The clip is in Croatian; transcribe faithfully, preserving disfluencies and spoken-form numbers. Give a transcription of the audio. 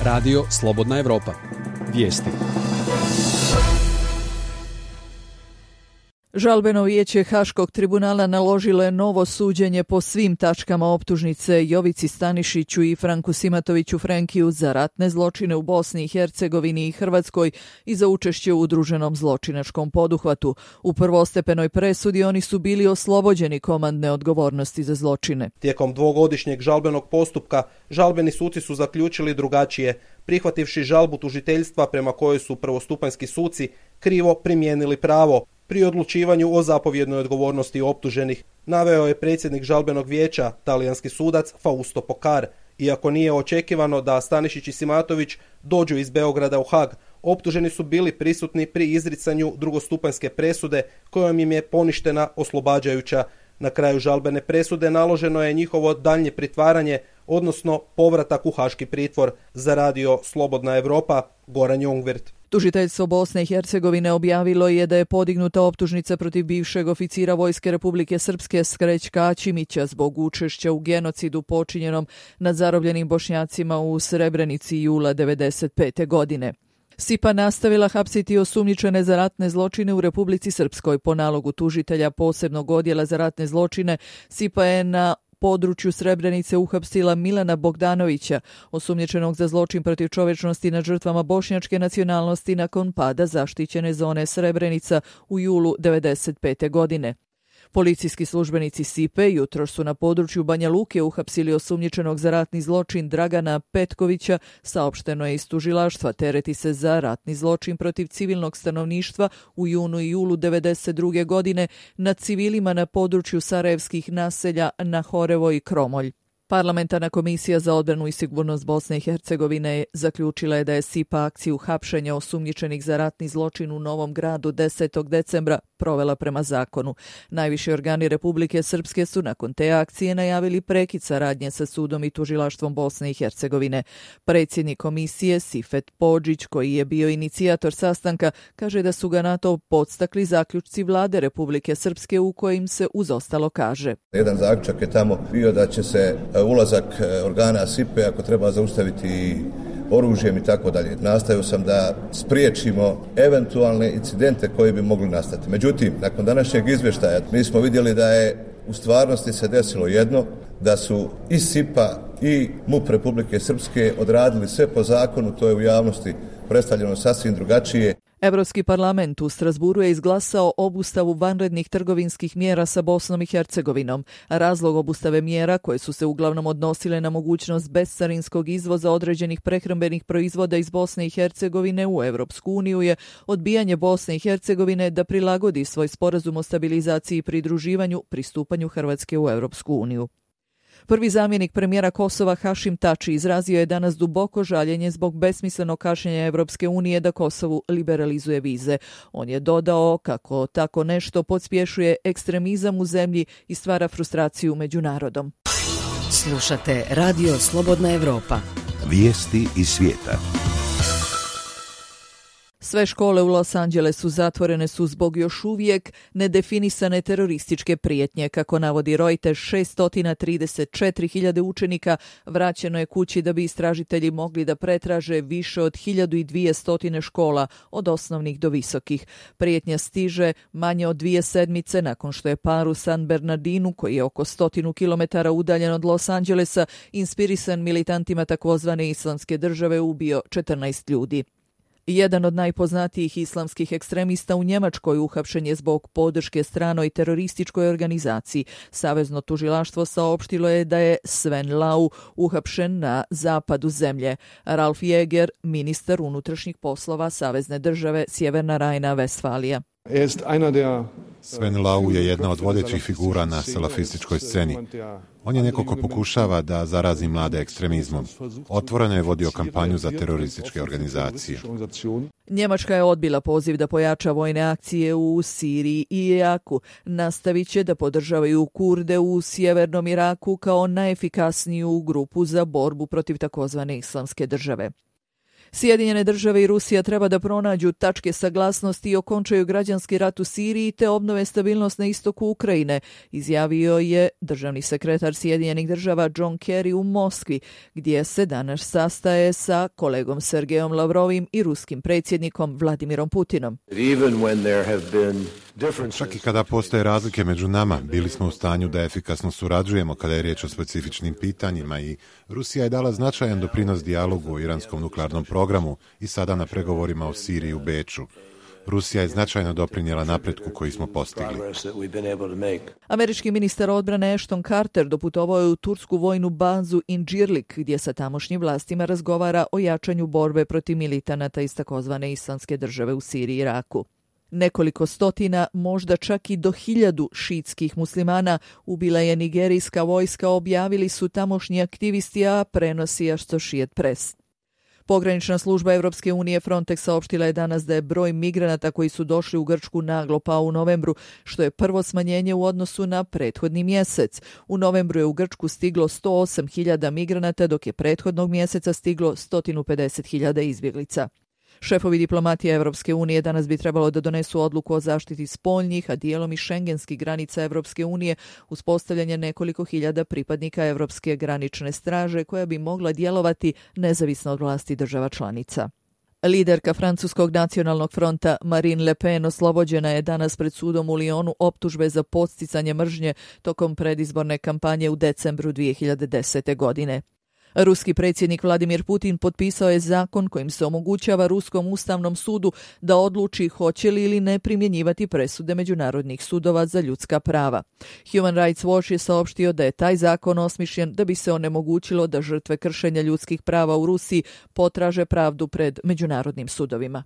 Radio Slobodna Evropa. Vijesti. Žalbeno vijeće Haškog tribunala naložilo je novo suđenje po svim tačkama optužnice Jovici Stanišiću i Franku Simatoviću Frenkiju za ratne zločine u Bosni i Hercegovini i Hrvatskoj i za učešće u udruženom zločinačkom poduhvatu. U prvostepenoj presudi oni su bili oslobođeni komandne odgovornosti za zločine. Tijekom dvogodišnjeg žalbenog postupka žalbeni suci su zaključili drugačije, prihvativši žalbu tužiteljstva prema kojoj su prvostupanjski suci krivo primijenili pravo pri odlučivanju o zapovjednoj odgovornosti optuženih, naveo je predsjednik žalbenog vijeća, talijanski sudac Fausto Pokar. Iako nije očekivano da Stanišić i Simatović dođu iz Beograda u Hag, optuženi su bili prisutni pri izricanju drugostupanjske presude kojom im je poništena oslobađajuća. Na kraju žalbene presude naloženo je njihovo daljnje pritvaranje, odnosno povratak u haški pritvor, za Radio Slobodna Evropa, Goran Jongvirt. Tužiteljstvo Bosne i Hercegovine objavilo je da je podignuta optužnica protiv bivšeg oficira Vojske Republike Srpske Skrećka Ćimića zbog učešća u genocidu počinjenom nad zarobljenim Bošnjacima u Srebrenici jula devedeset pete. godine. S I P A nastavila hapsiti osumnjičene za ratne zločine u Republici Srpskoj. Po nalogu tužitelja posebnog odjela za ratne zločine, S I P A je na području Srebrenice uhapsila Milana Bogdanovića, osumnjičenog za zločin protiv čovječnosti nad žrtvama bošnjačke nacionalnosti nakon pada zaštićene zone Srebrenica u julu devedeset pete. godine. Policijski službenici S I P E jutros su na području Banja Luke uhapsili osumnjičenog za ratni zločin Dragana Petkovića, saopšteno je iz tužilaštva. Tereti se za ratni zločin protiv civilnog stanovništva u junu i julu devedeset druge. godine nad civilima na području sarajevskih naselja Nahorevo i Kromolj. Parlamentarna komisija za odbranu i sigurnost Bosne i Hercegovine zaključila je da je S I P A akciju hapšenja osumnjičenih za ratni zločin u Novom Gradu desetog decembra provela prema zakonu. Najviši organi Republike Srpske su nakon te akcije najavili prekid saradnje sa sudom i tužilaštvom Bosne i Hercegovine. Predsjednik komisije Sifet Podžić, koji je bio inicijator sastanka, kaže da su ga na to podstakli zaključci vlade Republike Srpske u kojim se uz ostalo kaže: Jedan zaključak je tamo bio da će se ulazak organa S I P E ako treba zaustaviti oružjem i tako dalje. Nastavio sam da spriječimo eventualne incidente koji bi mogli nastati. Međutim, nakon današnjeg izvještaja mi smo vidjeli da je u stvarnosti se desilo jedno, da su i S I P A i MUP Republike Srpske odradili sve po zakonu, to je u javnosti predstavljeno sasvim drugačije. Evropski parlament u Strasburu je izglasao obustavu vanrednih trgovinskih mjera sa Bosnom i Hercegovinom. Razlog obustave mjera, koje su se uglavnom odnosile na mogućnost bescarinskog izvoza određenih prehrambenih proizvoda iz Bosne i Hercegovine u Evropsku uniju, je odbijanje Bosne i Hercegovine da prilagodi svoj sporazum o stabilizaciji i pridruživanju pristupanju Hrvatske u Evropsku uniju. Prvi zamjenik premijera Kosova Hašim Tači izrazio je danas duboko žaljenje zbog besmislenog kašnjenja Evropske unije da Kosovu liberalizuje vize. On je dodao kako tako nešto pospješuje ekstremizam u zemlji i stvara frustraciju među narodom. Slušate Radio Slobodna Evropa. Vijesti iz svijeta. Sve škole u Los Angelesu zatvorene su zbog još uvijek nedefinisane terorističke prijetnje. Kako navodi Reuters, šesto trideset četiri hiljade učenika vraćeno je kući da bi istražitelji mogli da pretraže više od hiljadu dvjesto škola, od osnovnih do visokih. Prijetnja stiže manje od dvije sedmice nakon što je par u San Bernardinu, koji je oko stotinu kilometara udaljen od Los Angelesa, inspirisan militantima takozvane islamske države, ubio četrnaest ljudi. Jedan od najpoznatijih islamskih ekstremista u Njemačkoj uhapšen je zbog podrške stranoj terorističkoj organizaciji. Savezno tužilaštvo saopštilo je da je Sven Lau uhapšen na zapadu zemlje. Ralf Jäger, ministar unutrašnjih poslova Savezne države Sjeverna Rajna-Vestfalija. Sven Lau je jedna od vodećih figura na salafističkoj sceni. On je neko ko pokušava da zarazi mlade ekstremizmom. Otvoreno je vodio kampanju za terorističke organizacije. Njemačka je odbila poziv da pojača vojne akcije u Siriji i Iraku. Nastavit će da podržavaju Kurde u sjevernom Iraku kao najefikasniju grupu za borbu protiv takozvane islamske države. Sjedinjene države i Rusija treba da pronađu tačke saglasnosti i okončaju građanski rat u Siriji te obnove stabilnost na istoku Ukrajine, izjavio je državni sekretar Sjedinjenih država John Kerry u Moskvi, gdje se danas sastaje sa kolegom Sergejom Lavrovim i ruskim predsjednikom Vladimirom Putinom. Čak i kada postoje razlike među nama, bili smo u stanju da efikasno surađujemo kada je riječ o specifičnim pitanjima i Rusija je dala značajan doprinos dijalogu o iranskom nuklearnom programu i sada na pregovorima o Siriji u Beču. Rusija je značajno doprinijela napretku koji smo postigli. Američki ministar odbrane Ashton Carter doputovao je u tursku vojnu bazu Incirlik, gdje sa tamošnjim vlastima razgovara o jačanju borbe protiv militanata iz takozvane islamske države u Siriji i Iraku. Nekoliko stotina, možda čak i do hiljadu šiitskih muslimana ubila je nigerijska vojska, objavili su tamošnji aktivisti, a prenosi Associated Press. Pogranična služba Evropske unije Frontex saopštila je danas da je broj migranata koji su došli u Grčku naglo pao u novembru, što je prvo smanjenje u odnosu na prethodni mjesec. U novembru je u Grčku stiglo sto osam hiljada migranata, dok je prethodnog mjeseca stiglo sto pedeset hiljada izbjeglica. Šefovi diplomatije Evropske unije danas bi trebalo da donesu odluku o zaštiti spoljnih, a dijelom i šengenskih granica Evropske unije, uspostavljanje nekoliko hiljada pripadnika Evropske granične straže koja bi mogla djelovati nezavisno od vlasti država članica. Liderka francuskog nacionalnog fronta Marine Le Pen oslobođena je danas pred sudom u Lyonu optužbe za podsticanje mržnje tokom predizborne kampanje u decembru dvije hiljade desete. godine. Ruski predsjednik Vladimir Putin potpisao je zakon kojim se omogućava Ruskom ustavnom sudu da odluči hoće li ili ne primjenjivati presude međunarodnih sudova za ljudska prava. Human Rights Watch je saopštio da je taj zakon osmišljen da bi se onemogućilo da žrtve kršenja ljudskih prava u Rusiji potraže pravdu pred međunarodnim sudovima.